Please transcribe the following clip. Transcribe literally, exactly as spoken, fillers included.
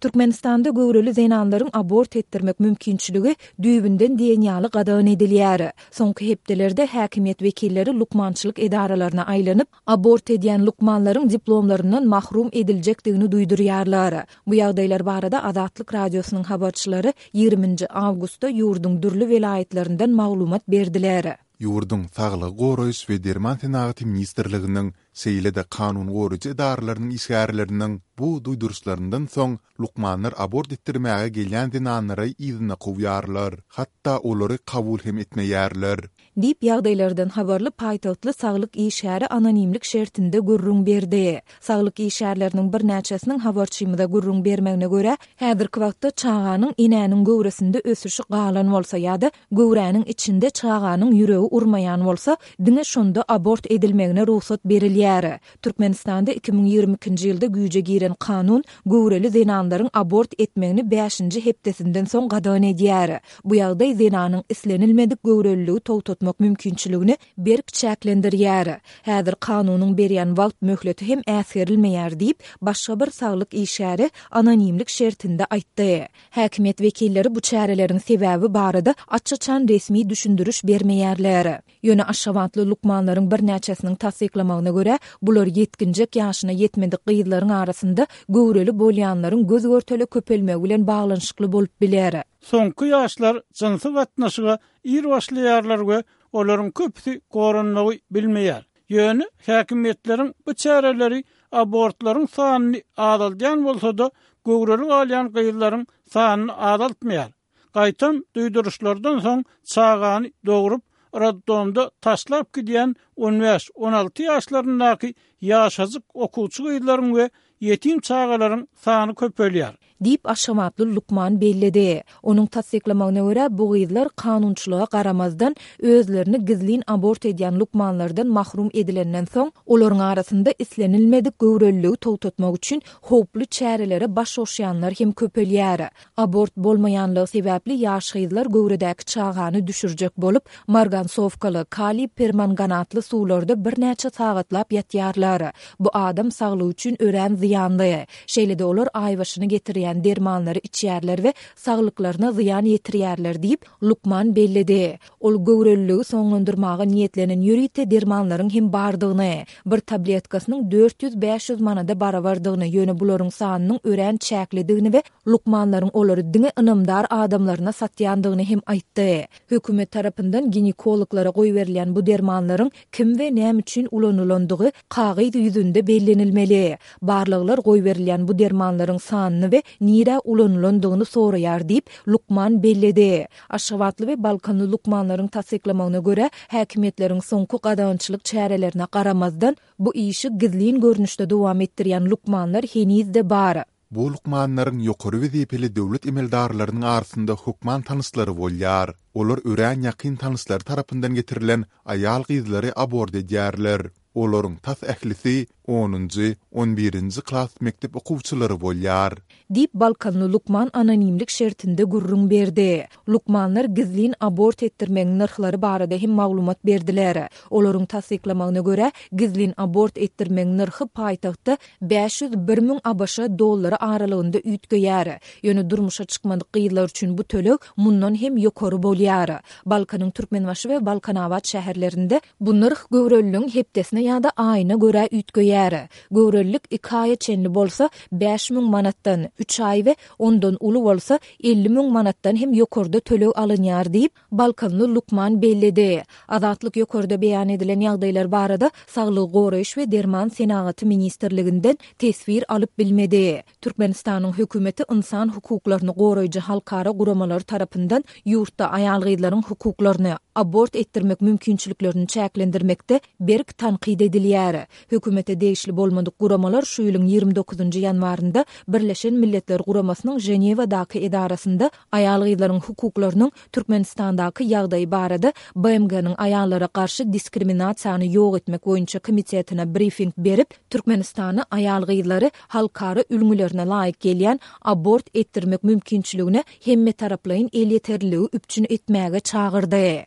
Türkmenistanda göwreli zenanlaryň abort etdirmek mümkinçiligi düýbünden diýen ýaly gadagan edilýär. Soňky hepdelerde häkimiýet wekilleri lukmançylyk edaralaryna aýlanyp, abort edýän lukmanlaryň diplomlaryndan mahrum ediljekdigini duýdurýarlar. Bu ýagdaýlar barada Azatlyk Radiosynyň habarçylary ýigriminji awgustda ýurduň dürli welaýatlaryndan maglumat berdiler. Ýurduň Saglygy goraýyş we derman senagaty ministrliginiň, şeýle-de kanun goraýjy edaralarynyň işgärleriniň bu duýduryşlaryndan soň lukmanlar abort etdirmäge gelýän zenanlary yzyna kowýarlar, hatda olary kabul hem etmeýärler. Diýip, ýagdaýlardan habarly paýtagtly saglyk işgäri anonimlik şertinde gürrüň berdi. Saglyk işgärleriniň birnäçesiniň habarçymyza gürrüň bermegine görä, häzirki wagtda çaganyň enäniň göwresinde ösüşi galan bolsa ýa-da göwräniň içinde çaganyň ýüregi urmaýan bolsa, diňe şonda abort edilmegine rugsat berilýär. Türkmenistanda iki müň ýigrimi ikinji ýylda güýje giren kanun göwreli zenanlaryň abort etmegini bäşinji hepdesinden soň gadagan edýär. Bu ýagdaý zenanyň islenilmedik göwreliligi togtatmak mümkinçiligini berk çäklendirýär. Häzir kanunyň berýän wagt möhleti hem äsgerilmeýär diýip, başga bir saglyk işgäri anonimlik şertinde aýtdy. Häkimiýet wekilleri bu çäreleriň sebäbi barada aç-açan resmi düşündiriş bermeýärler. Ýöne aşgabatly lukmanlaryň birnäçesiniň tassyklamagyna görä, bular ýetginjek ýaşyna ýetmedik gyzlaryň arasynda göwreli bolýanlaryň göz-görtele köpelmegi bilen baglanyşykly bolup biler. Soňky ýaşlar jynsy gatnaşyga ir başlaýarlar we olaryň köpüsi goranmagy bilmeýär. Ýöne häkimiýetleriň bu çäreleri abortlaryň sanyny azaldýan bolsa-da, göwreli galýan gyzlaryň sanyny azaltmaýar. Gaýtam duýduryşlardan soň çagany dogrup, roddomda taşlap gidýän on bäş, on alty ýaşlaryndaky ýaşajyk okuwçy gyzlaryň we ýetim çagalaryň sany köpelýär. Diýip, aşgabatly lukman belledi. Onuň tassyklamagyna görä, bu gyzlar kanunçylyga garamazdan, özlerini gizlin abort edýän lukmanlardan mahrum edilenden soň, olaryň arasynda islenilmedik göwreliligi togtatmak üçin howply çärelere baş goşýanlar hem köpelýär. Abort bolmaýanlygy sebäpli ýaş gyzlar göwredäki çagany düşürjek bolup, margansowkaly, kaliý permanganatly suwlarda birnäçe sagatlap ýatýarlar. Bu adam saglygy üçin örän zyýanly. Şeýle-de olar aýbaşyny getirýän dermanlary içýärler we saglyklaryna zyýan ýetirýärler diýip, lukman belledi. Ol göwreliligi soňlandyrmaga niýetlenen ýörite dermanlaryň hem bardygyny, bir tabletkasynyň dört ýüz-bäş ýüz manada barabardygyny, ýöne bularyň sanynyň örän çäklidigini we lukmanlaryň olary diňe ynamdar adamlaryna satýandygyny hem aýtdy. Hökümet tarapyndan ginekologlara goýberilýän bu dermanlaryň kim we näme üçin ulanylandygy kagyz ýüzünde bellenilmeli. Barlaglar goýberilýän bu dermanlaryň sanyny we nirä ulanylandygyny soraýar diýip, lukman belledi. Aşgabatly we Balkanly lukmanlaryň tassyklamagyna görä, häkimiýetleriň soňky gadagançylyk çärelerine garamazdan, bu işi gizlin görnüşde dowam etdirýän lukmanlar heniz-de bar. Bu lukmanlaryň ýokary wezipeli döwlet emeldarlarynyň arasynda hökman tanyşlary bolýar. Olar örän ýakyn tanyşlary tarapyndan getirilen aýal-gyzlary abort edýärler. Olaryň tas ählisi onunjy, on birinji klas mekdep okuwçylary bolýar. Diýip, balkanly lukman anonimlik şertinde gürrüň berdi. Lukmanlar gizlin abort etdirmegiň nyrhlary barada hem maglumat berdiler. Olaryň tassyklamagyna görä, gizlin abort etdirmegiň nyrhy paýtagtda bäş ýüz bir müň ABŞ dollary aralygynda üýtgeýär. Ýöne durmuşa çykmadyk gyzlar üçin bu töleg mundan hem ýokary bolýar. Balkanyň Türkmenbaşy we Balkanabat şäherlerinde bu nyrh göwreliligiň hepdesine ýa-da aýyna görä üýtgeýär. Göwrelilik iki aýa çenli bolsa bäş müň manatdan, üç aý we ondan uly bolsa elli müň manatdan hem ýokarda töleg alynýar diýip, balkanly lukman belledi. Azatlyk ýokarda beýan edilen ýagdaýlar barada Saglygy goraýyş we derman senagaty ministrliginden teswir alyp bilmedi. Türkmenistanyň hökümeti ynsan hukuklaryny goraýjy halkara guramalary tarapyndan ýurtda aýal-gyzlaryň hukuklaryny, abort etdirmek mümkinçiliklerini çäklendirmekde berk tankyt edilýär. Hökümete degişli bolmadyk guramalar şu ýylyň ýigrimi dokuzynjy ýanwarynda Birleşen Milletler Guramasynyň Ženewadaky edarasynda aýal-gyzlaryň hukuklarynyň Türkmenistandaky ýagdaýy barada B M G-niň aýallara garşy diskriminasiýany ýok etmek boýunça komitetine brifing berip, Türkmenistany aýal-gyzlary halkara ülňülerine laýyk gelýän abort etdirmek mümkinçiligine hemmetaraplaýyn elýeterliligi üpjün etmäge çagyrdy.